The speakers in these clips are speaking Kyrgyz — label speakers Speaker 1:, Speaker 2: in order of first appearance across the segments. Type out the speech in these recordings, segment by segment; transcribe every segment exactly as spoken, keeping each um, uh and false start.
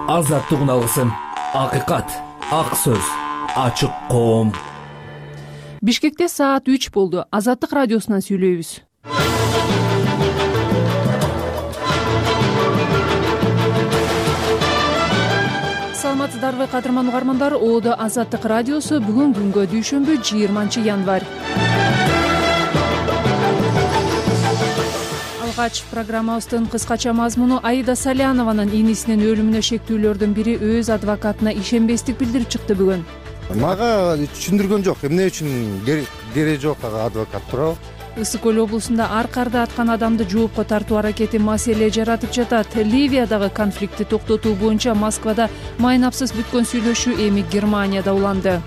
Speaker 1: азаттык алгысым, акыйкат, ак сөз, ачык коом.
Speaker 2: Бишкекте саат үч болду. Азаттык радиосунан сүйлөйбүз. Саламатсыздарбы кадырман угармандар? Оодо Азаттык радиосу бүгүн күнгө дүйшөмбү жыйырманчы январь. Алгач программабыздын кыскача мазмуну Аида Салянованын инисинин өлүмүнө шектүүлөрдүн бири өз адвокатына ишенбестик билдирип чыкты бүгүн.
Speaker 3: Мага түшүндүргөн жок, эмне үчүн кереги жок ага адвокат туурабы?
Speaker 2: Ысык көл облусунда ар карда аткан адамды жоопко тартуу аракети маселе жаратып жатат. Ливиядагы конфликтти токтотуу боюнча Москвада майнапсыз бүткөн сүйлөшүү эми Германияда уланды.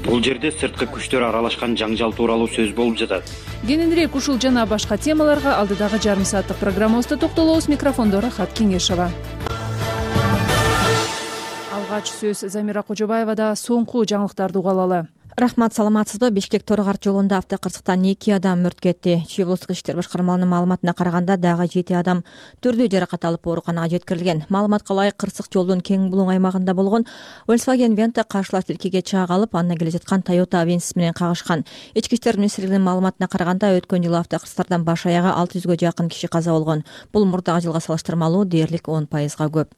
Speaker 4: Бул жерде сырткы күчтөр аралашкан жаңжал тууралуу сөз болуп жатат.
Speaker 2: Кененирээк ушул жана башка темаларга алдыдагы жарым сааттык программабызда токтолобуз. Микрофондо Рахат Кеңешова. Алгач сөз Замира Кожобаевада. Соңку жаңылыктарды угалы.
Speaker 5: Рахмат, саламатсызбы? Бишкек Торгар жолунда автокырсыктан эки адам мүрт кетти. Чүй облустук иштер башкармаларынын маалыматына караганда дагы жети адам түрдүү жаракат алып ооруканага жеткирилген. Маалыматка ылайык, кырсык жолдун кең булуң аймагында болгон Volkswagen Venta каршылаш тилкеге чаак алып, андан келе жаткан Toyota Avensis менен кагышкан. Ички иштер министрлигинин маалыматына караганда өткөн жылы автокырсыктардан баш аягы алты жүзгө жакын киши каза болгон. Бул мурдагы жылга салыштырмалуу дээрлик он пайызга көп.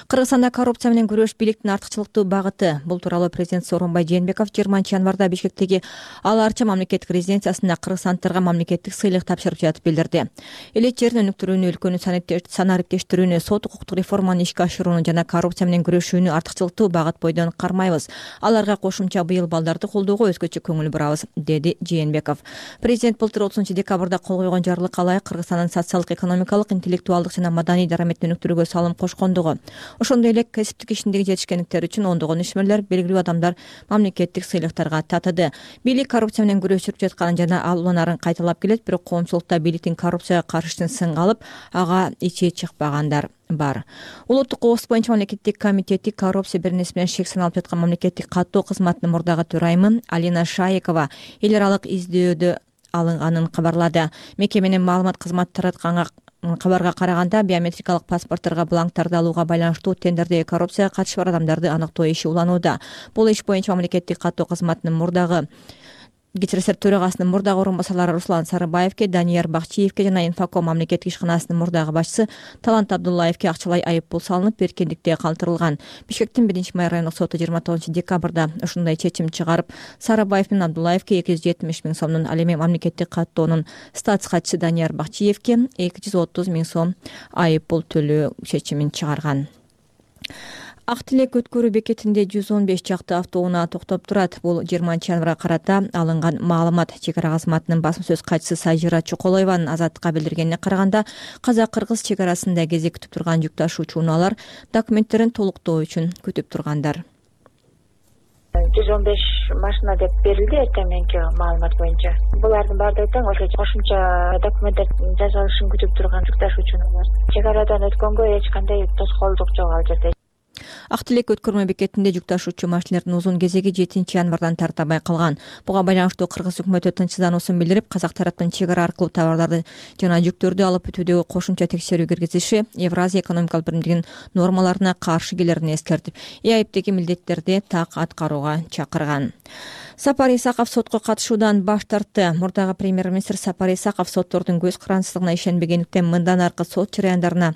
Speaker 5: Кыргызстанда коррупция менен күрөш бийликтин артыкчылыктуу багыты. Бул тууралуу президент Сооронбай Жээнбеков жыйырманчы январда Бишкектеги Ала Арча мамлекеттик резиденциясында кыргызстандыктарга мамлекеттик сыйлык тапшырып жатып билдирди. Элет жерин өнүктүрүүнү, өлкөнү санариптештирүүнү, сот укуктук реформаны ишке ашырууну жана коррупция менен күрөшүүнү артыкчылыктуу багыт бойдон кармайбыз. Аларга кошумча быйыл балдарды колдоого өзгөчө көңүл бурабыз, деди Жээнбеков. Президент былтыр отузунчу декабрда кол койгон жарлыкка ылайык Кыргызстандын социалдык, экономикалык, интеллектуалдык жана маданий дараметин өнүктүрүүгө салым кошкондугу, ошондой эле кесиптик ишиндеги жетишкендиктери үчүн ондогон ишмерлер, белгилүү адамдар мамлекеттик сыйлыктарга татыды. Бийлик коррупция менен күрөшүп жатканын жана ал уланарын кайталап келет, бирок коомчулукта бийликтин коррупцияга каршысын сынга алып, ага ичи чыкпагандар бар. Улуттук кооз боюнча мамлекеттик комитети коррупция беренеси менен шек саналып жаткан мамлекеттик каттоо кызматынын мурдагы төрайымы Алина Шаекова эл аралык издөөдө алынганын кабарлады. Мекеменин маалымат кызматы таратканга кабарга караганда, биометрикалык паспортторго бланктарды алууга байланыштуу тендердеги коррупцияга катышы бар адамдарды аныктоо иши уланууда. Бул иш боюнча мамлекеттик каттоо кызматынын мурдагы Кечиресер төрагасынын мурдагы орун басарлары Руслан Сарыбаевке, Данияр Бакчиевке жана Инфоком мамлекеттик ишканасынын мурдагы башчысы Талант Абдуллаевке акчалай айып пул салынып, эркиндикте калтырылган. Бишкектин биринчи май райондук соту жыйырма тогузунчу декабрда ушундай чечим чыгарып, Сарыбаев менен Абдуллаевке эки жүз жетимиш миң сомдун, ал эми мамлекеттик каттоонун статс катчысы Данияр Бакчиевке эки жүз отуз миң сом айып пул төлөө чечимин чыгарган. Ак Тилек өткөрүү бекетинде жүз он беш чакты автоунаа токтоп турат. Бул жыйырманчы январга карата алынган маалымат. Чек ара кызматынын басма сөз катчысы Сажира Чоколоеванын Азаттыкка билдиргенине караганда, казак-кыргыз чек арасында кезек күтүп турган жүк ташуучу унаалар документтерин толуктоо үчүн күтүп тургандар.
Speaker 6: жүз он беш машина деп берилди эртең мененки маалымат боюнча. Булардын баардыгы тең ошо кошумча документтер жасалышын күтүп турган жүк ташуучулар. Чек арадан өткөнгө эч кандай тоскоолдук жок ал жерде.
Speaker 5: Ак Тилек өткөрмө бекетинде жүк ташуучу машиналардын узун кезеги жетинчи январдан тартабай калган. Буга байланыштуу кыргыз өкмөтү тынчсыздануусун билдирип, казак тараптын чек ара аркылуу товарларды жана жүктөрдү алып өтүүдөгү кошумча текшерүү киргизиши Евразия экономикалык биримдигинин нормаларына каршы келерин эскертип, ЭАИПтеги милдеттерди так аткарууга чакырган. Сапар Исаков сотко катышуудан баш тартты. Мурдагы премьер-министр Сапар Исаков соттордун көз карандысыздыгына ишенбегендиктен мындан аркы сот жараяндарына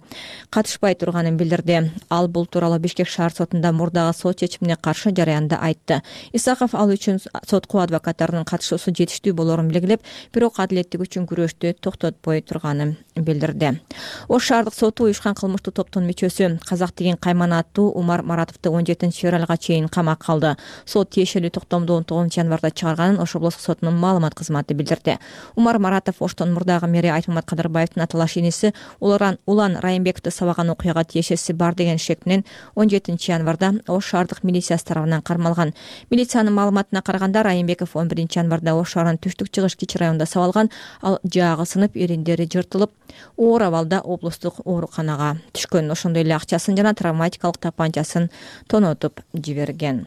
Speaker 5: катышпай турганын билдирди. Ал бул тууралуу Бишкек шаар сотунда мурдагы сот чечимине каршы жараянда айтты. Исаков ал үчүн сотко адвокаттарынын катышуусу жетиштүү болорун белгилеп, бирок адилеттик үчүн күрөштү токтотпой турганын билдирди. Ош шаардык соту уюшкан кылмыштуу топтун мүчөсү Казак деген Кайман аттуу Умар Маратовду он жетинчи февралга чейин камакка алды. Сот тиешелүү токтомду он тогузунчу январда чыгарганын Ош облустук сотунун маалымат кызматы билдирди. Умар Маратов Оштон мурдагы мэри Айтмамат Кадырбаевдин аталаш иниси Улан Улан Райымбековду сабаган окуяга тиешеси бар деген шек менен он жетинчи январда Ош шаардык милициясы тарабынан кармалган. Милициянын маалыматына караганда Райымбеков он биринчи январда Ош шаарынын түштүк-чыгыш кичи районунда сабалган, ал жаагы сынып, эриндери жыртылып, оор абалда облустук ооруканага түшкөн. Ошондой эле акчасын жана травматикалык тапанчасын тонотуп жиберген.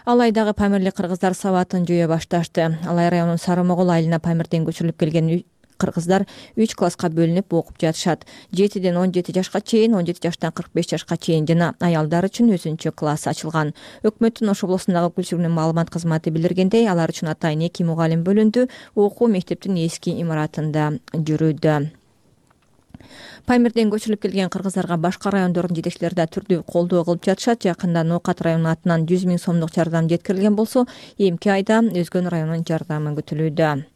Speaker 5: Алайдагы Памирлик кыргыздар сабатын жөө башташты. Алай районунун Сары Могол айылына Памирден көчүрүлүп келген кыргыздар үч класска бөлүнүп окуп жатышат. жетиден он жети жашка чейин, он жети жаштан кырк беш жашка чейин жана аялдар үчүн өзүнчө класс ачылган. Өкмөттүн Ош облусундагы өкүлчүлүгүнүн маалымат кызматы билдиргендей, алар үчүн атайын эки мугалим бөлүндү. Окуу мектептин эски имаратында жүрүүдө. Памирден көчүрүлүп келген кыргыздарга башка райондордун жетекчилери да түрдүү колдоо кылып жатышат. Жакында Ноокат районунун атынан жүз миң сомдук жардам жеткирилген болсо, эмки айда Өзгөн районунун жардамы күтүлүүдө.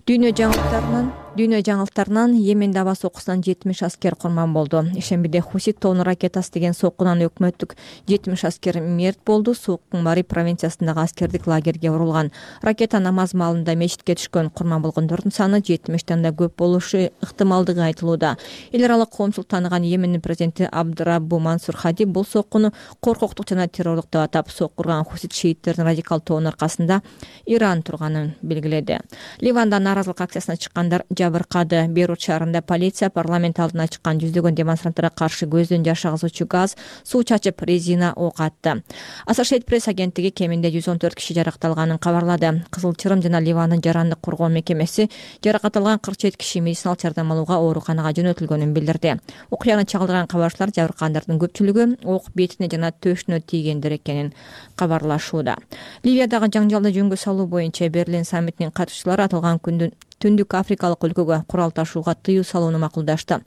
Speaker 5: Дүйнө жаңылыктарынан Дүйнө жаңылыктарынан Йеменде аба сокусунан жетимиш аскер курман болду. Ишембиде Хусит тоонун ракетасы деген соккунан өкмөттүк жетимиш аскер мерт болду. Соккун Мари провинциясындагы аскердик лагерге урулган. Ракета намаз маалында мечитке түшкөн. Курман болгондордун саны жетимиштен да көп болушу ыктымалдыгы айтылууда. Эл аралык коомчулук тааныган Йемендин президенти Абдраббу Мансур Хади бул соккуну коркоктук жана террорлук деп атап, сокку урган Хусит шииттердин радикал тоонун аркасында Иран турганын белгиледи. Ливанда нааразылык акциясына чыккандар жабыркады. Бейрут шаарында полиция парламент алдына чыккан жүздөгөн демонстранттарга каршы көздөн жаш агызуучу газ, суу чачып, резина ок атты. Associated Press агенттиги кеминде жүз он төрт киши жаракатталганын кабарлады. Кызыл Чырым жана Ливандын жарандык коргоо мекемеси жаракат алган кырк жети киши медициналык жардам алууга ооруканага жөнөтүлгөнүн билдирди. Окуяны чагылдырган кабарчылар жабыркагандардын көпчүлүгү ок бетине жана төшүнө тийгендер экенин кабарлашууда. Ливиядагы жаңжалды жөнгө салуу боюнча Берлин саммитинин катышчылары аталган күндүн Түндүк Африкалык өлкөгө курал ташууга тыюу салууну макулдашты.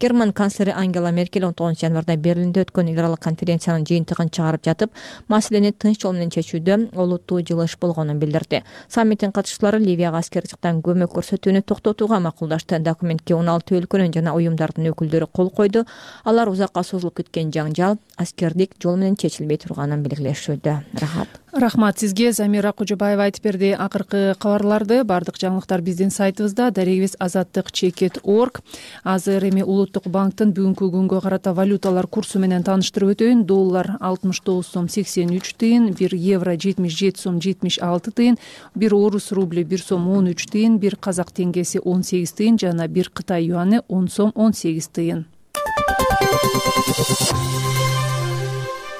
Speaker 5: Герман канцлери Ангела Меркель он тогузунчу январда Берлинде өткөн эл аралык конференциянын жыйынтыгын чыгарып жатып, маселени тынч жол менен чечүүдө олуттуу жылыш болгонун билдирди. Саммиттин катышчылары Ливияга аскердиктен көмөк көрсөтүүнү токтотууга макулдашты. Документке он алты өлкөнүн жана уюмдардын өкүлдөрү кол койду. Алар узакка созулуп кеткен жаңжал аскердик жол менен чечилбей турганын белгилешүүдө. Рахат.
Speaker 2: Рахмат сизге. Замира Кожобаева айтып берди акыркы кабарларды. Бардык жаңылыктар биздин сайтыбызда дарегибиз азаттык чекит точка орг. Азыр эми Улуттук банктын бүгүнкү күнгө карата валюталар курсу менен тааныштырып өтөйүн. Доллар алтымыш тогуз сом сексен үч тыйын, бир евро жетимиш жети сом жетимиш алты тыйын, бир орус рубли бир сом он үч тыйын, бир казак теңгеси он сегиз тыйын жана бир Кытай юаны он сом он сегиз тыйын.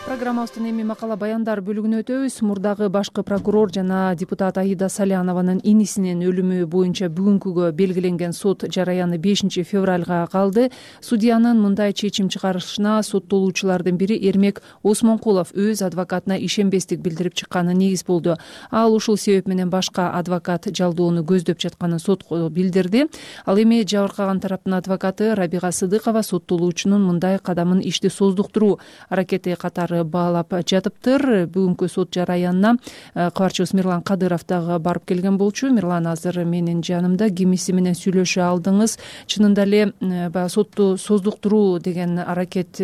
Speaker 2: Программабыздын эми макала баяндар бөлүгүнө өтөбүз. Мурдагы башкы прокурор жана депутат Аида Салянованын инисинин өлүмү боюнча бүгүнкүгө белгиленген сот жараяны бешинчи февралга калды. Судьянын мындай чечим чыгарышына соттолуучулардын бири Эрмек Осмонкулов өз адвокатына ишенбестик билдирип чыкканы негиз болду. Ал ушул себеп менен башка адвокат жалдоону көздөп жатканын сотко билдирди. Ал эми жабыркаган тараптын адвокаты Рабига Сыдыкова соттолуучунун мындай кадамын ишти создуктуруу аракети катары баалап жатыптыр. Бүгүнкү сот жараянына кабарчыбыз Мирлан Кадыров дагы барып келген болчу. Мирлан азыр менин жанымда. Кимиси менен сүйлөшө алдыңыз? Чынында эле баягы сотту создуктуруу деген аракет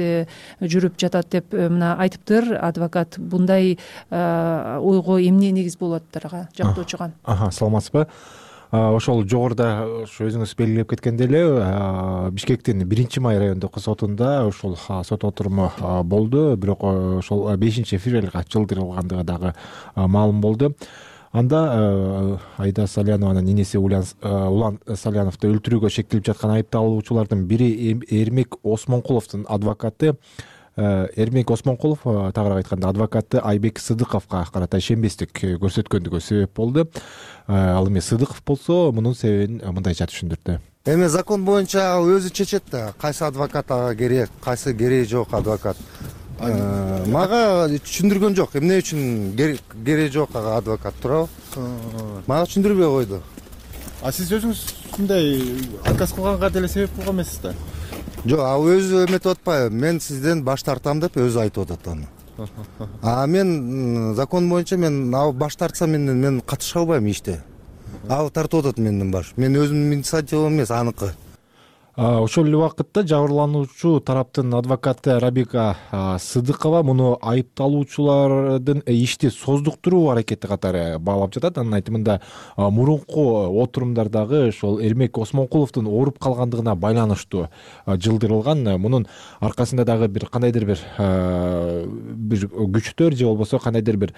Speaker 2: жүрүп жатат деп мына айтыптыр адвокат. Бундай ойго эмне негиз болот ага жактоочуга?
Speaker 7: Аха, саламатсызбы? Ошол жогоруда өзүңүз белгилеп кеткендей эле Бишкектин биринчи май райондук сотунда ошол сот отуруму болду, бирок ошол бешинчи февралга жылдырылгандыгы дагы маалым болду. Анда Аида Салянованын инеси Улан Саляновду өлтүрүүгө шектелип жаткан айыпталуучулардын бири Эрмек Осмонкуловдун адвокаты Эрмек Осмонкулов, тагыраак айтканда адвокаты Айбек Сыдыковго карата ишенбестик көрсөткөндүгү себеп болду. Ал эми Сыдыков болсо мунун себебин мындайча түшүндүрдү.
Speaker 3: Эми закон боюнча өзү чечет да, кайсы адвокат ага керек, кайсы кереги жок адвокат. Мага түшүндүргөн жок, эмне үчүн кереги жок ага адвокат, туурабы? Мага түшүндүрбөй койду.
Speaker 8: А сиз өзүңүз мындай отказ кылганга деле себеп болгон эмессиз да?
Speaker 3: Жок, а өзү эметип атпайбы? Мен сизден баш тартам деп өзү айтып атат аны. А мен закон боюнча мен ал баш тартсам мен мен катыша албайм иште. Ал тартып атат менден баш. Мен өзүмдүн инициативам эмес, аныкы.
Speaker 7: Ошол эле убакытта жабырлануучу тараптын адвокаты Рабига Сыдыкова муну айыпталуучулардын ишти создуктуруу аракети катары баалап жатат. Анын айтымында мурунку отурумдардагы ошол Эрмек Осмонкуловдун ооруп калгандыгына байланыштуу жылдырылган. Мунун аркасында дагы бир кандайдыр бир бир күчтөр же болбосо кандайдыр бир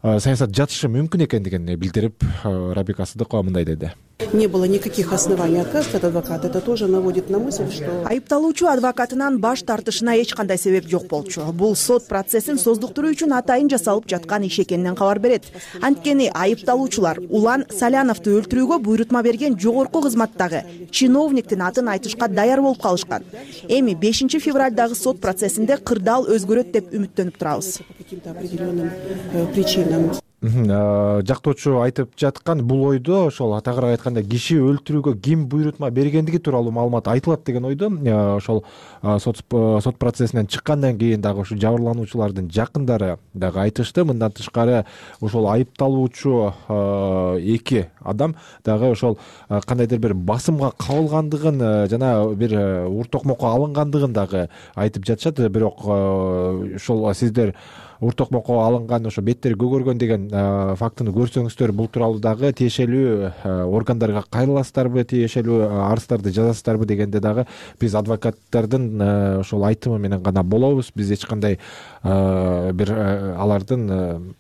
Speaker 7: саясат жатышы мүмкүн экендигин билдирип, Рабига Сыдыкова мындай деди.
Speaker 9: Не было никаких оснований отказываться от адвоката. Это тоже наводит на мысль, что...
Speaker 10: Айыпталуучу адвокатынан баш тартышына эч кандай себеп жок болчу. Бул сот процессин создуктуруу үчүн атайын жасалып жаткан иш экенинен кабар берет. Анткени айыпталуучулар Улан Саляновду өлтүрүүгө буйрутма берген жогорку кызматтагы чиновниктин атын айтышка даяр болуп калышкан. Эми бешинчи февралдагы сот процессинде кырдаал өзгөрөт деп үмүттөнүп турабыз.
Speaker 9: По каким-то определенным причинам.
Speaker 7: Жактоочу айтып жаткан бул ойдо ошол тагыраак айтканда киши өлтүрүүгө ким буйрутма бергендиги тууралуу маалымат айтылат деген ойдо ошол сот сот процессинен чыккандан кийин дагы ушу жабырлануучулардын жакындары дагы айтышты. Мындан тышкары ошол айыпталуучу эки адам дагы ошол кандайдыр бир басымга кабылгандыгын жана бир ур токмокко алынгандыгын дагы айтып жатышат. Бирок ошол сиздер ур токмокко алынган ошо беттери көгөргөн деген фактыны көрсөңүздөр бул тууралуу дагы тиешелүү органдарга кайрыласыздарбы, тиешелүү арыздарды жазасыздарбы дегенде дагы биз адвокаттардын ошол айтымы менен гана болобуз. Биз эч кандай бир алардын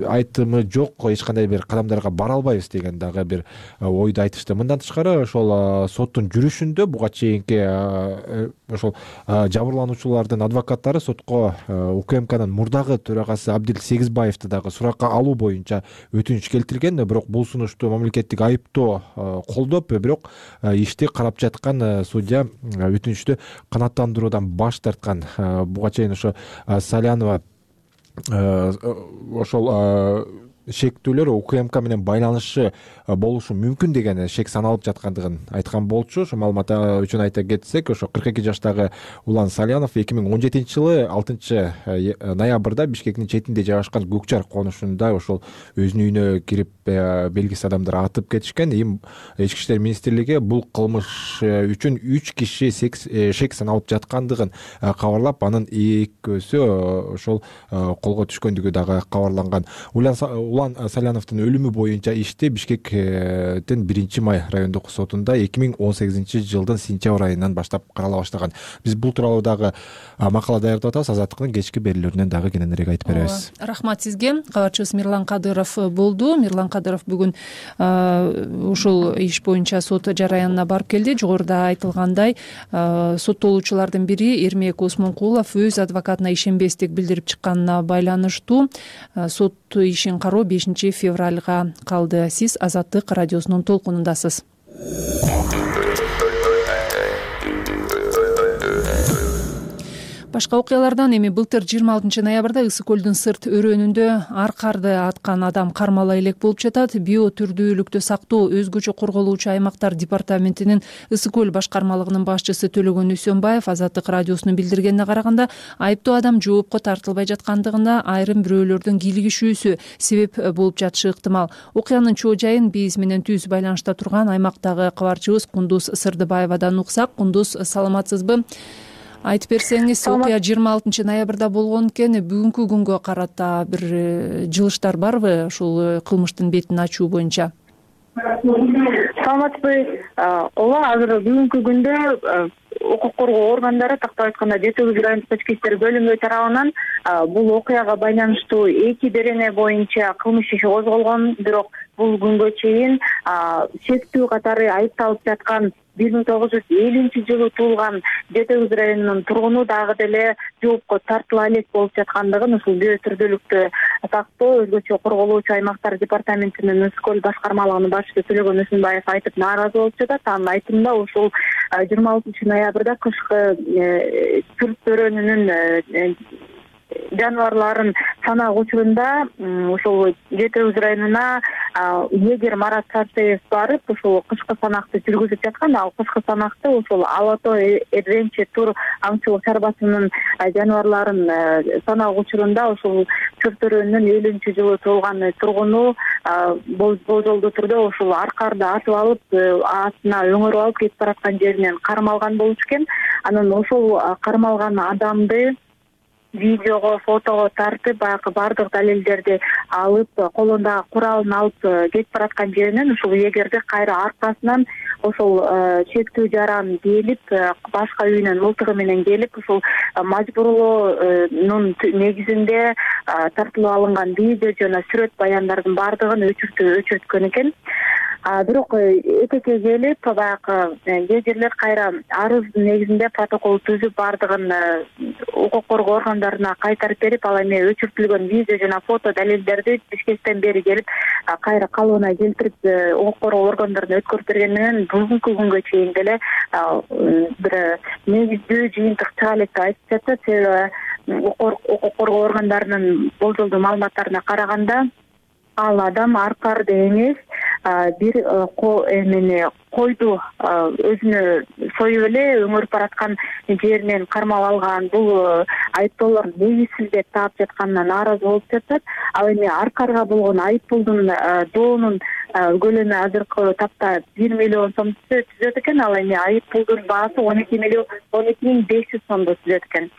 Speaker 7: айтымы жок, эч кандай бир кадамдарга бара албайбыз деген дагы бир ойду айтышты. Мындан тышкары ошол соттун жүрүшүндө буга чейинки ошол жабырлануучулардын адвокаттары сотко УКМКнын мурдагы төрагасы Абдил Сегизбаевди дагы суракка алуу боюнча өтүнүч келтирген. Бирок бул сунушту мамлекеттик айыптоо колдоп, бирок ишти карап жаткан судья өтүнүчтү канааттандыруудан баш тарткан. Буга чейин ошо Салянова ошол шектүүлөр УКМК менен байланышы болушу мүмкүн деген шек саналып жаткандыгын айткан болчу. Ошо маалымат үчүн айта кетсек, ошо кырк эки жаштагы Улан Салянов эки миң он жетинчи жылы алтынчы ноябрда Бишкектин четинде жайгашкан Көкчар конушунда ошол өзүнүн үйүнө кирип белгисиз адамдар атып кетишкен. Эми Ички иштер министрлиги бул кылмыш үчүн үч киши шек саналып жаткандыгын кабарлап, анын экөөсү ошол колго түшкөндүгү дагы кабарланган. Улан Саляновдун өлүмү боюнча ишти Бишкектин биринчи май райондук сотунда эки миң он сегизинчи жылдын сентябрь айынан баштап карала баштаган. Биз бул тууралуу дагы макала даярдап атабыз. Азаттыктын кечки берүүлөрүнөн дагы кененирээк айтып беребиз.
Speaker 2: Рахмат сизге. Кабарчыбыз Мирлан Кадыров болду. Мирлан Кадыров бүгүн ушул иш боюнча сот жараянына барып келди. Жогоруда айтылгандай, соттолуучулардын бири Эрмек Осмонкулов өз адвокатына ишенбестик билдирип чыкканына байланыштуу сот ишин кароо бешинчи февралга калды. Сиз Азаттык радиосунун толкунундасыз. Башка окуялардан эми былтыр жыйырма алтынчы ноябрда Ысык көлдүн сырт өрөөнүндө ар карды аткан адам кармала элек болуп жатат. Био түрдүүлүктү сактоо өзгөчө корголуучу аймактар департаментинин Ысык көл башкармалыгынын башчысы Төлөгөн Үсөнбаев Азаттык радиосунун билдиргенине караганда, айыптуу адам жоопко тартылбай жаткандыгында айрым бирөөлөрдүн кийлигишүүсү себеп болуп жатышы ыктымал. Окуянын чоо жайын биз менен түз байланышта турган аймактагы кабарчыбыз Кундуз Сырдыбаевадан уксак. Кундуз, саламатсызбы? Айтып берсеңиз, окуя жыйырма алтынчы ноябрда болгон экен. Бүгүнкү күнгө карата бир жылыштар барбы ушул кылмыштын бетин ачуу боюнча?
Speaker 6: Саламатсызбы? Ооба, азыр бүгүнкү күндө укук коргоо органдары, тактап айтканда Жети Өгүз райондук ички иштер бөлүмү тарабынан бул окуяга байланыштуу эки берене боюнча кылмыш иши козголгон. Бирок бул күнгө чейин шектүү катары айыпталып жаткан бир миң тогуз жүз элүүнчү жылы туулган Жети Өгүз районунун тургуну дагы деле жоопко тартыла элек болуп жаткандыгын ушул био түрдүүлүктү сактоо өзгөчө корголуучу аймактар департаментинин Ысык көл башкармалыгынын башчысы Төлөгөн Үсөнбаев айтып нааразы болуп жатат. Анын айтымында ушул жыйырма алтынчы ноябрда кышкы сырт өрөөнүнүн жаныбарларын санак учурунда ушул Жети Өгүз районуна эгер Марат Сарсеев барып ушул кышкы санакты жүргүзүп жаткан. Ал кышкы санакты ушул Алато Эдвенче тур аңчылык чарбасынын жаныбарларын санак учурунда ушул сырт өрөөнүнүн элүүнчү жылы туулган тургуну болжолдуу түрдө ушул аркарды атып алып, астына өңөрүп алып кетип бараткан жеринен кармалган болчу экен. Анан ошол кармалган адамды видеого, фотого тартып, баягы бардык далилдерди алып, колундагы куралын алып кетип бараткан жеринен ушул эгерде кайра аркасынан ошол шектүү жаран келип, башка үйүнөн мылтыгы менен келип, ушул мажбурлоонун негизинде тартылып алынган видео жана сүрөт баяндардын бардыгын өчүртүп өчүрткөн экен. бирок этекке келип баягы эгерлер кайра арыздын негизинде протокол түзүп баардыгын укук коргоо органдарына кайтарып берип, ал эми өчүртүлгөн видео жана фото далилдерди Бишкектен бери келип кайра калыбына келтирип укук коргоо органдарына өткөрүп берген менен бүгүнкү күнгө чейин деле бир негиздүү жыйынтык чыга элек деп айтып жатат. Себеби укук коргоо органдарынын болжолдуу маалыматтарына караганда ал адам аркарды эмес, бир эмени койду өзүнө союп эле өңөрүп бараткан жеринен кармап алган. Бул айыптоолор негизсиз деп таап жатканына нааразы болуп жатат. Ал эми аркарга болгон айыппулдун доонун көлөмү азыркы тапта бир миллион сомду түзөт экен. Ал эми айыппулдун баасы он эки миллион он эки миң беш жүз сомду түзөт экен.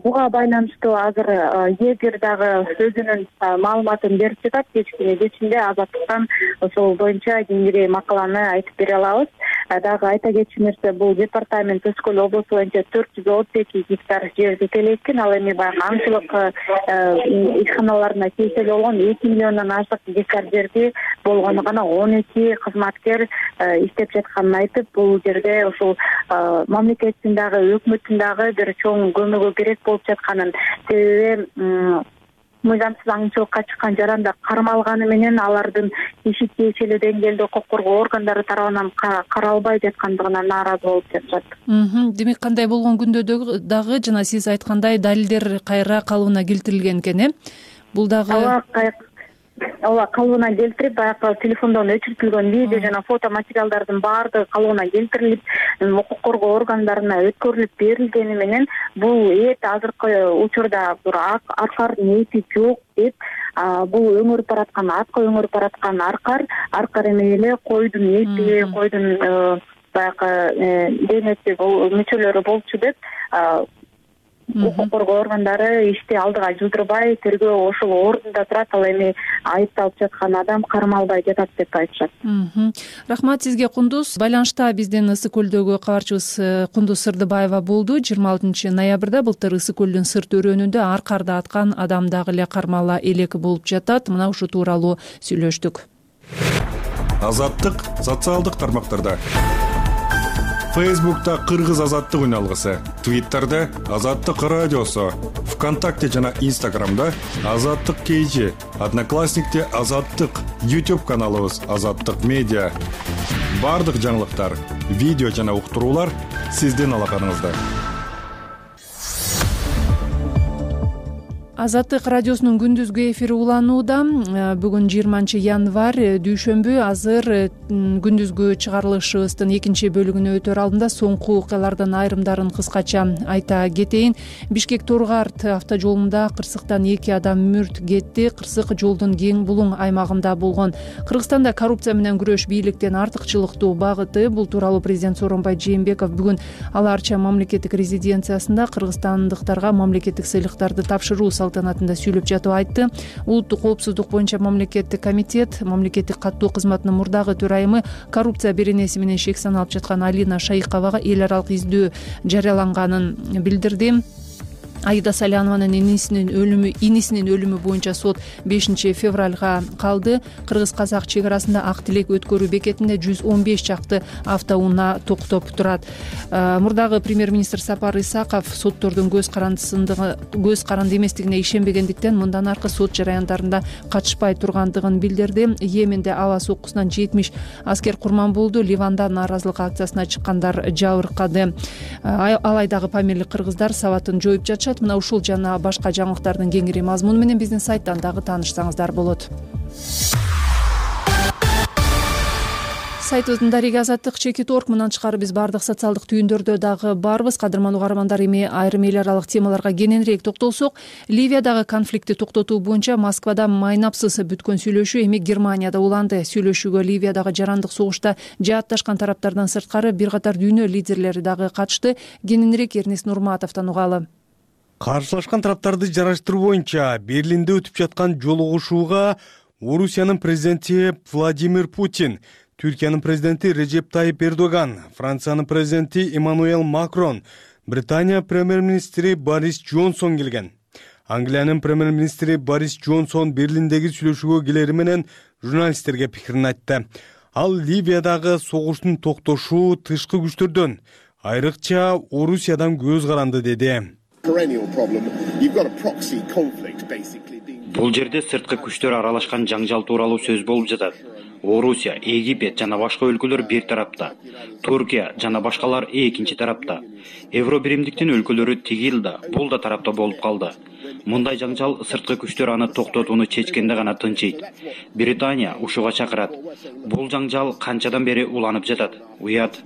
Speaker 6: Буга байланыштуу азыр эгер дагы өзүнүн маалыматын берип жатат. Кечкине кечинде Азаттыктан ошол боюнча кеңири макаланы айтып бере алабыз. Дагы айта кетчү нерсе, бул департамент Өз көл облусу боюнча төрт жүз отуз эки гектар жер жетелейт экен. Ал эми баягы аңчылык ишканаларына тиешелүү болгон эки миллиондон ашык гектар жерди болгону гана он эки кызматкер иштеп жатканын айтып, бул жерде ушул мамлекеттин дагы өкмөттүн дагы бир чоң көмөгү керек болуп жатканын, себеби мыйзамсыз аңчылыкка чыккан жарандар кармалганы менен алардын иши тиешелүү деңгээлде укук коргоо органдары тарабынан каралбай жаткандыгына нааразы болуп жатышат.
Speaker 2: Демек кандай болгон күндө дагы жана сиз айткандай далилдер кайра калыбына келтирилген экен, э? Бул дагы
Speaker 6: ооба, калыбына келтирип, баягы телефондон өчүртүлгөн видео жана фото материалдардын баардыгы калыбына келтирилип, укук коргоо органдарына өткөрүлүп берилгени менен бул эт азыркы учурда бир аркардын эти жок деп, бул өңөрүп бараткан, атка өңөрүп бараткан аркар, аркар эмес эле койдун эти, койдун баягы денеси мүчөлөрү болчу деп укук коргоо органдары ишти алдыга жылдырбай, тергөө ошол ордунда турат. Ал эми айыпталып жаткан адам кармалбай жатат деп айтышат.
Speaker 2: Рахмат сизге, Кундуз. Байланышта биздин Ысык көлдөгү кабарчыбыз Кундуз Сырдыбаева болду. жыйырма алтынчы ноябрда былтыр Ысык көлдүн сырт өрөөнүндө аркарды аткан адам дагы эле кармала элек болуп жатат. Мына ушу тууралуу сүйлөштүк.
Speaker 11: Азаттык социалдык тармактарда. Фейсбукта Кыргыз азаттык үн алгысы, Твиттерде Азаттык радиосу, ВКонтакте жана Инстаграмда Азаттык кей, Одноклассникте Азаттык, YouTube каналыбыз Азаттык медиа. Бардык жаңылыктар, видео жана уктуруулар сиздин алаканыңызда.
Speaker 2: Азаттык радиосунун күндүзгү эфири уланууда. Бүгүн жыйырманчы январь, дүйшөмбү. Азыр күндүзгү чыгарылышыбыздын экинчи бөлүгүнө өтөр алдында соңку окуялардын айрымдарын кыскача айта кетейин. Бишкек Торгарт автожолунда кырсыктан эки адам мүрт кетти. Кырсык жолдун кең булуң аймагында болгон. Кыргызстанда коррупция менен күрөш бийликтен артыкчылыктуу багыты. Бул тууралуу президент Сооронбай Жээнбеков бүгүн Ала Арча мамлекеттик резиденциясында кыргызстандыктарга мамлекеттик сыйлыктарды тапшыруу салтанатында сүйлөп жатып айтты. Улуттук коопсуздук боюнча мамлекеттик комитет, мамлекеттик каттоо кызматынын мурдагы төрайымы, коррупция беренеси менен шек саналып жаткан Алина Шайыковага эл аралык издөө жарыяланганын билдирди. Аида Салянованын инисинин өлүмү инисинин өлүмү боюнча сот бешинчи февралга калды. Кыргыз-казак чек арасында Ак Тилек өткөрүү бекетинде жүз он беш чакты автоунаа токтоп турат. Мурдагы премьер-министр Сапар Исаков соттордун көз карандысындыгы көз каранды эместигине ишенбегендиктен мындан аркы сот жараяндарында катышпай тургандыгын билдирди. Йеменде аба соккусунан жетимиш аскер курман болду. Ливанда нааразылык акциясына чыккандар жабыркады. Алайдагы Памирлик кыргыздар сабатын жоюп жатышат. Мына ушул жана башка жаңылыктардын кеңири мазмуну менен биздин сайттан дагы таанышсаңыздар болот. Сайтыбыздын дареги азаттык чекит точка орг. Мындан тышкары биз бардык социалдык түйүндөрдө дагы барбыз. Кадырман угармандар, эми айрым эл аралык темаларга кененирээк токтолсок, Ливиядагы конфликтти токтотуу боюнча Москвада майнапсыз бүткөн сүйлөшүү эми Германияда уланды. Сүйлөшүүгө Ливиядагы жарандык согушта жаатташкан тараптардан сырткары бир катар дүйнө лидерлери дагы катышты. Кененирээк Эрнест Нурматовдон угалы.
Speaker 12: Каршылашкан тараптарды жараштыруу боюнча Берлинде өтүп жаткан жолугушууга Орусиянын президенти Владимир Путин, Түркиянын президенти Режеп Тайип Эрдоган, Франциянын президенти Эммануэл Макрон, Британия премьер-министри Борис Джонсон келген. Англиянын премьер-министри Борис Джонсон Берлиндеги сүйлөшүүгө келери менен журналисттерге пикирин айтты. Ал Ливиядагы согуштун токтошу тышкы күчтөрдөн, айрыкча Орусиядан көз каранды деди.
Speaker 4: Бул жерде сырткы күчтөр аралашкан жаңжал тууралуу сөз болуп жатат. Орусия, Египет жана башка өлкөлөр бир тарапта, Туркия жана башкалар экинчи тарапта. Евро биримдиктин өлкөлөрү тигил да, бул да тарапта болуп калды. Мындай жаңжал сырткы күчтөр аны токтотууну чечкенде гана тынчыйт. Британия ушуга чакырат. Бул жаңжал канчадан бери уланып жатат. Уят.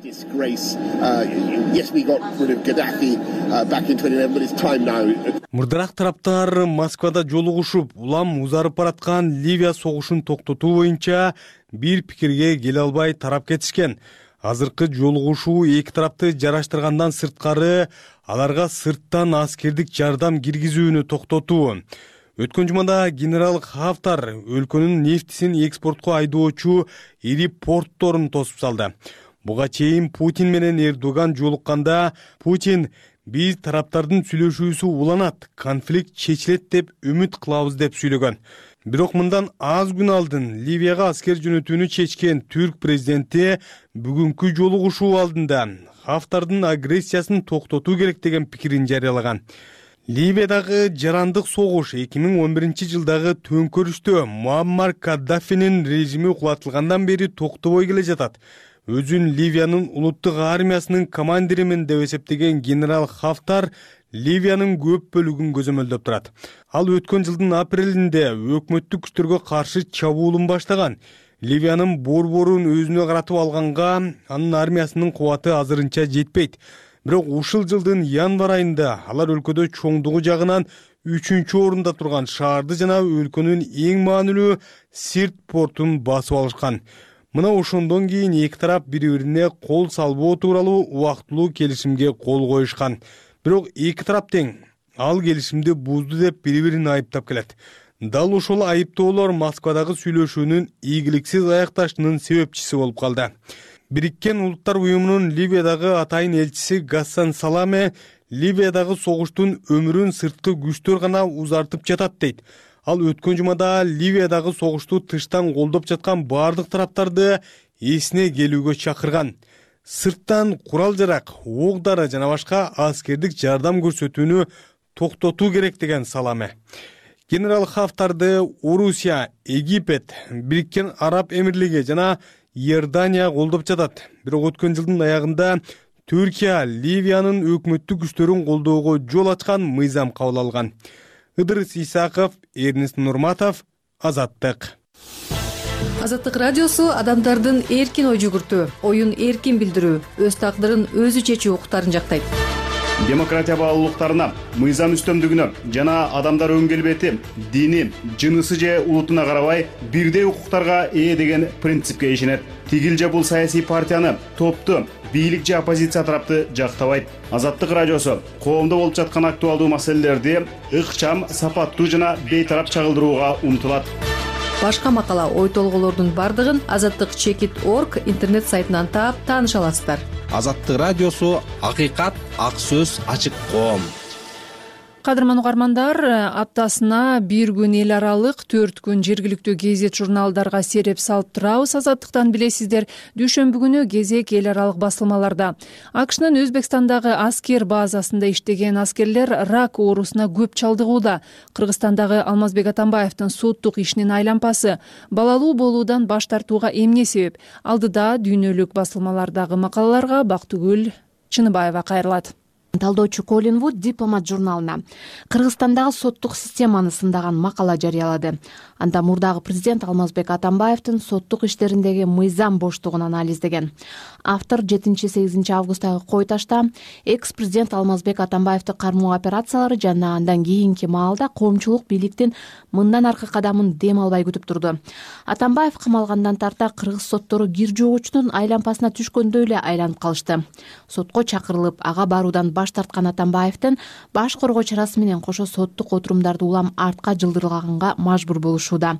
Speaker 12: Мурдараак тараптар Москвада жолугушуп, улам узарып бараткан Ливия согушун токтотуу боюнча бир пикирге келе албай тарап кетишкен. Азыркы жолугушуу эки тарапты жараштыргандан сырткары аларга сырттан аскердик жардам киргизүүнү токтотуу. Өткөн жумада генерал Хафтар өлкөнүн нефтисин экспортко айдоочу ири портторун тосуп салды. Буга чейин Путин менен Эрдоган жолукканда Путин биз тараптардын сүйлөшүүсү уланат, конфликт чечилет деп үмүт кылабыз деп сүйлөгөн. Бирок мындан аз күн алдын Ливияга аскер жөнөтүүнү чечкен түрк президенти бүгүнкү жолугушуу алдында Хафтардын агрессиясын токтотуу керек деген пикирин жарыялаган. Ливиядагы жарандык согуш эки миң он биринчи жылдагы төңкөрүштө Муаммар Каддафинин режими кулатылгандан бери токтобой келе жатат. Өзүн Ливиянын улуттук армиясынын командиримин деп эсептеген генерал Хафтар Ливиянын көп бөлүгүн көзөмөлдөп турат. Ал өткөн жылдын апрелинде өкмөттүк күчтөргө каршы чабуулун баштаган. Ливиянын борборун өзүнө каратып алганга анын армиясынын кубаты азырынча жетпейт. Бирок ушул жылдын январь айында алар өлкөдө чоңдугу жагынан үчүнчү орунда турган шаарды жана өлкөнүн эң маанилүү Сирт портун басып алышкан. Мына ошондон кийин эки тарап бири-бирине кол салбоо тууралуу убактылуу келишимге кол коюшкан. Бирок эки тарап тең ал келишимди бузду деп бири-бирин айыптап келет. Дал ошол айыптоолор Москвадагы сүйлөшүүнүн ийгиликсиз аякташынын себепчиси болуп калды. Бириккен Улуттар уюмунун Ливиядагы атайын элчиси Гассан Саламе Ливиядагы согуштун өмүрүн сырткы күчтөр гана узартып жатат дейт. Ал өткөн жумада Ливиядагы согушту тыштан колдоп жаткан бардык тараптарды эсине келүүгө чакырган. Сырттан курал-жарак, ок-дары жана башка аскердик жардам көрсөтүүнү токтотуу керек деген Саламе. Генерал Хафтарды Орусия, Египет, Бириккен Араб Эмирлиги жана Иордания колдоп жатат. Бирок өткөн жылдын аягында Түркия Ливиянын өкмөттүк күчтөрүн колдоого жол ачкан мыйзам кабыл алган. Ыдырыс Исаков, Эрнест Нурматов, Азаттык.
Speaker 2: Азаттык радиосу адамдардын эркин ой жүгүртүү, оюн эркин билдирүү, өз тагдырын өзү чечүү укуктарын жактайт.
Speaker 4: Демократия баалуулуктарына, мыйзам үстөмдүгүнө жана адамдар өн келбети, дини, жынысы же улутуна карабай бирдей укуктарга ээ деген принципке ишенет. Тигил же бул саясий партияны, топту, бийлик же оппозиция тарапты жактабайт. Азаттык радиосу коомдо болуп жаткан актуалдуу маселелерди ыкчам, сапаттуу жана бейтарап чагылдырууга умтулат.
Speaker 2: Башка макала, ой толголордун бардыгын азаттык чекит точка орг интернет сайтынан таап тааныша аласыздар.
Speaker 1: Азаттык радиосу акыйкат, ак сөз, ачык коом.
Speaker 2: Кадырман угармандар, аптасына бир күн эл аралык, төрт күн жергиликтүү гезит журналдарга сереп салып турабыз. Азаттыктан билесиздер, дүйшөмбү күнү кезек эл аралык басылмаларда. АКШнын Өзбекстандагы аскер базасында иштеген аскерлер рак оорусуна көп чалдыгууда. Кыргызстандагы Алмазбек Атамбаевдин соттук ишинин айлампасы балалуу болуудан баш тартууга эмне себеп? Алдыда дүйнөлүк басылмалардагы макалаларга Бактыгүл Чыныбаева кайрылат.
Speaker 13: Талдоочу Колин Вуд Дипломат журналына Кыргызстандагы соттук системаны сындаган макала жарыялады. Анда мурдагы президент Алмазбек Атамбаевдин соттук иштериндеги мыйзам боштугун анализдеген. Автор жетинчи сегизинчи августагы кой ташта экс-президент Алмазбек Атамбаевди кармоо операциялары жана андан кийинки маалда коомчулук бийликтин мындан аркы кадамын дем албай күтүп турду. Атамбаев камалгандан тарта кыргыз соттору кир жогучунун айлампасына түшкөндөй эле айланып калышты. Сотко чакырылып, ага баруудан баш тарткан Атамбаевдин баш коргоо чарасы менен кошо соттук отурумдарды улам артка жылдырганга мажбур болушууда.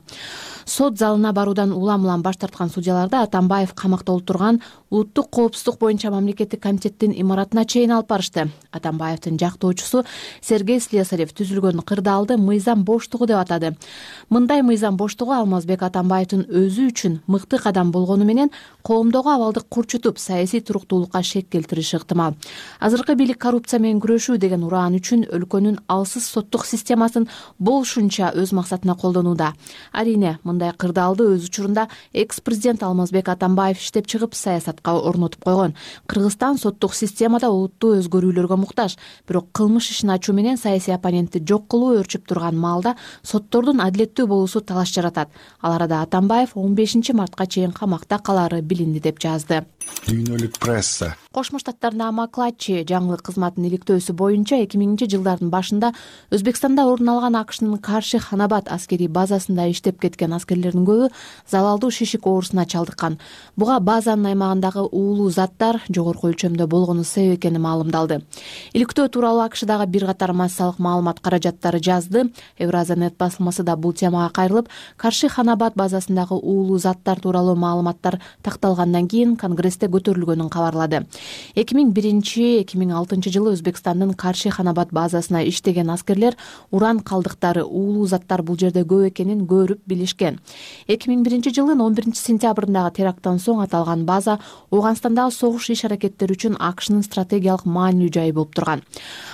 Speaker 13: Сот залына баруудан улам улам баш тарткан судьяларды Атамбаев камакта олтурган улуттук коопсуздук боюнча мамлекеттик комитеттин имаратына чейин алып барышты. Атамбаевдин жактоочусу Сергей Слесарев түзүлгөн кырдаалды мыйзам боштугу деп атады. Мындай мыйзам боштугу Алмазбек Атамбаевдин өзү үчүн мыкты кадам болгону менен коомдогу абалды курчутуп, саясий туруктуулукка шек келтириши ыктымал. Азыркы бийлик коррупция менен күрөшүү деген ураан үчүн өлкөнүн алсыз соттук системасын болушунча өз максатына колдонууда. Арине, мындай кырдаалды өз учурунда экс-президент Алмазбек Атамбаев иштеп чыгып саясатка орнотуп койгон. Кыргызстан соттук системада олуттуу өзгөрүүлөргө муктаж, бирок кылмыш ишин ачуу менен саясий оппонентти жок кылуу өрчүп турган маалда соттордун адилеттүү болуусу талаш жаратат. Ал арада Атамбаев он бешинчи мартка чейин камакта калаары билинди деп жазды.
Speaker 11: Дүйнөлүк пресса.
Speaker 13: Кошмо Штаттардагы Маклаччи жаңылык кызматынын иликтөөсү боюнча эки миңинчи жылдардын башында Өзбекстанда орун алган АКШнын Карши Ханабад аскерий базасында иштеп кеткен аскерлердин көбү залалдуу шишик оорусуна чалдыккан. Буга базанын аймагындагы уулуу заттар жогорку өлчөмдө болгону себеп экени маалымдалды. Иликтөө тууралуу АКШдагы бир катар массалык маалымат каражаттары жазды. Евразиянет басылмасы да бул темага кайрылып, Карши Ханабад базасындагы уулуу заттар тууралуу маалыматтар такталгандан кийин Конгрессте көтөрүлгөнүн кабарлады. эки миң биринчи эки миң алтынчы жылы Өзбекстандын Карши Ханабад базасына иштеген аскерлер уран калдыктары, уулуу заттар бул жерде көп экенин көрүп билишкен. эки миң биринчи жылдын он биринчи сентябрындагы теракттан соң аталган база Ооганстандагы согуш иш-аракеттери үчүн АКШнын стратегиялык маанилүү жайы болуп турган.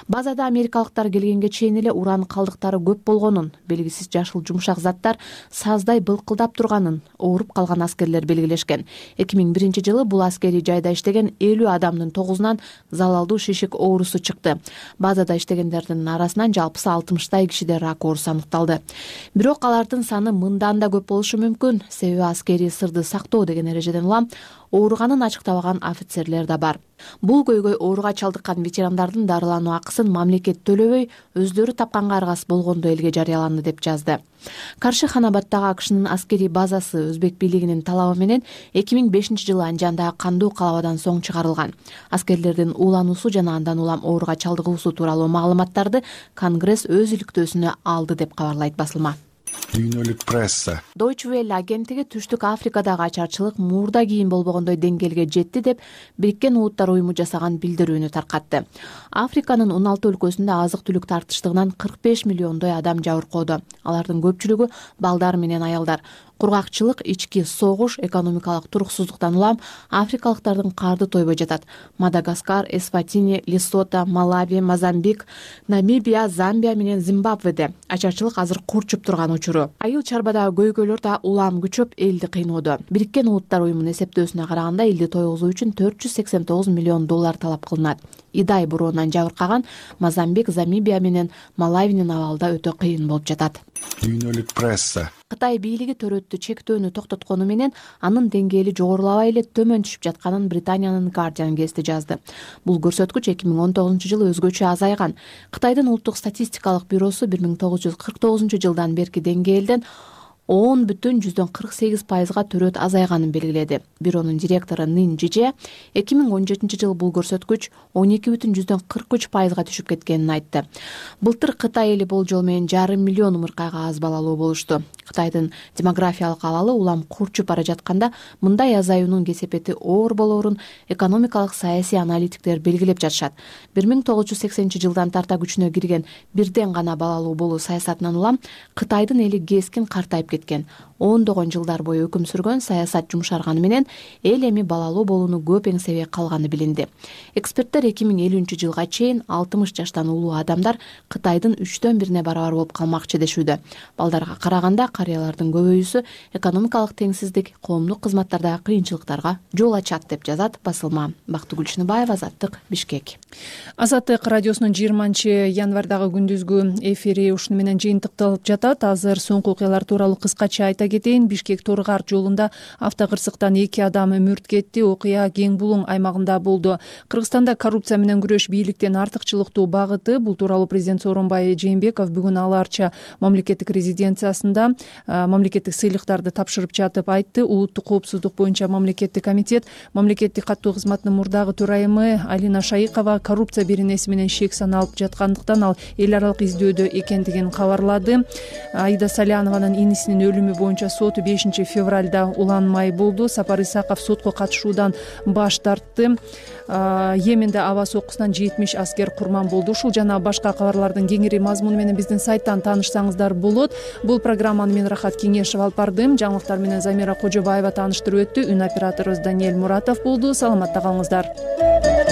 Speaker 13: Базада америкалыктар келгенге чейин эле уран калдыктары көп болгонун, белгисиз жашыл жумшак заттар саздай былкылдап турганын ооруп калган аскерлер белгилешкен. эки миң биринчи жылы бул аскерий жайда иштеген элүү адамдын тогузунан залалдуу шишик оорусу чыкты. Базада иштегендердин арасынан жалпысы алтымыштай кишиде рак оорусу аныкталды. Бирок алардын саны мындан да көп болушу мүмкүн. Себеби аскерий сырды сактоо деген эрежеден улам ооруганын ачыктабаган офицерлер да бар. Бул көйгөй ооруга чалдыккан ветерандардын дарылануу акысын мамлекет төлөбөй, өздөрү тапканга аргасыз болгондо элге жарыяланды деп жазды. Карши Ханабаддагы АКШнын аскерий базасы өзбек бийлигинин талабы менен эки миң бешинчи жылы Анжандагы кандуу калабадан соң чыгарылган. Аскерлердин уулануусу жана андан улам ооруга чалдыгуусу тууралуу маалыматтарды Конгресс өз иликтөөсүнө алды деп кабарлайт басылма.
Speaker 11: Дүйнөлүк пресса.
Speaker 13: Deutsche Welle агенттиги Түштүк Африкадагы ачарчылык мурда кийин болбогондой деңгээлге жетти деп Бириккен Улуттар уюму жасаган билдирүүнү таркатты. Африканын он алты өлкөсүндө азык-түлүк тартыштыгынан кырк беш миллиондой адам жабыркоодо. Алардын көпчүлүгү балдар менен аялдар. Кургакчылык, ички согуш, экономикалык туруксуздуктан улам африкалыктардын карды тойбой жатат. Мадагаскар, Эсватини, Лесото, Малави, Мозамбик, Намибия, Замбия менен Зимбабведе ачарчылык азыр курчуп турган учуру. Айыл чарбадагы көйгөйлөр да улам күчөп элди кыйноодо. Бириккен Улуттар уюмунун эсептөөсүнө караганда элди тойгузуу үчүн төрт жүз сексен тогуз миллион доллар талап кылынат. Идай буроонан жабыркаган Мозамбик, Замбия менен Малавинин абалда өтө кыйын болуп жатат.
Speaker 11: Дүйнөлүк пресса.
Speaker 13: Кытай бийлиги төрөттү чектөөнү токтоткону менен анын деңгээли жогорулабай эле төмөн түшүп жатканын Британиянын Guardian гезити жазды. Бул көрсөткүч эки миң он тогузунчу жылы өзгөчө азайган. Кытайдын улуттук статистикалык бюросу бир миң тогуз жүз кырк тогузунчу жылдан берки деңгээлден он бүтүн жүздөн кырк сегиз пайызга төрөт азайганын белгиледи. Бюронун директору Нин Жиже эки миң он жетинчи жылы бул көрсөткүч он эки бүтүн жүздөн кырк үч пайызга түшүп кеткенин айтты. Былтыр Кытай эли болжол менен жарым миллион умуркайга аз балалуу болушту. Кытайдын демографиялык абалы улам курчуп бара жатканда мындай азаюунун кесепети оор болоорун экономикалык саясий аналитиктер белгилеп жатышат. бир миң тогуз жүз сексенинчи жылдан тарта күчүнө кирген бирден гана балалуу болуу саясатынан улам Кытайдын эли кескин картайып кеткен. ондогон жылдар бою өкүм сүргөн саясат жумшарганы менен эл эми балалуу болууну көп эңсебей калганы билинди. Эксперттер эки миң элүүнчү жылга чейин алтымыш жаштан улуу адамдар Кытайдын үчтөн бирине барабар болуп калмакчы дешүүдө. Балдарга караганда карыялардын көбөйүүсү экономикалык теңсиздик, коомдук кызматтардагы кыйынчылыктарга жол ачат деп жазат басылма. Бактыгүл Шыныбаева, Азаттык, Бишкек.
Speaker 2: Азаттык радиосунун жыйырманчы январдагы күндүзгү эфири ушуну менен жыйынтыкталып жатат. Азыр соңку окуялар тууралуу кыскача айта кетейин. Бишкек Торгар жолунда автокырсыктан эки адам мүрт кетти. Окуя Кең Булуң аймагында болду. Кыргызстанда коррупция менен күрөш бийликтин артыкчылыктуу багыты. Бул тууралуу президент Сооронбай Жээнбеков бүгүн Ала Арча мамлекеттик резиденциясында мамлекеттик сыйлыктарды тапшырып жатып айтты. Улуттук коопсуздук боюнча мамлекеттик комитет мамлекеттик каттоо кызматынын мурдагы төрайымы Алина Шайыкова коррупция беренеси менен шек саналып жаткандыктан ал эл аралык издөөдө экендигин кабарлады. Аида Салянованын инисинин өлүмү боюнча сот бешинчи февралда уланмай болду. Сапар Исаков сотко катышуудан баш тартты. Йеменде аба соккусунан жетимиш аскер курман болду. Ушул жана башка кабарлардын кеңири мазмуну менен биздин сайттан таанышсаңыздар болот. Бул программаны мен Рахат Кеңешев алып бардым. Жаңылыктар менен Замира Кожобаева тааныштырып өттү. Үн операторубуз Даниэль Муратов болду. Саламатта калыңыздар.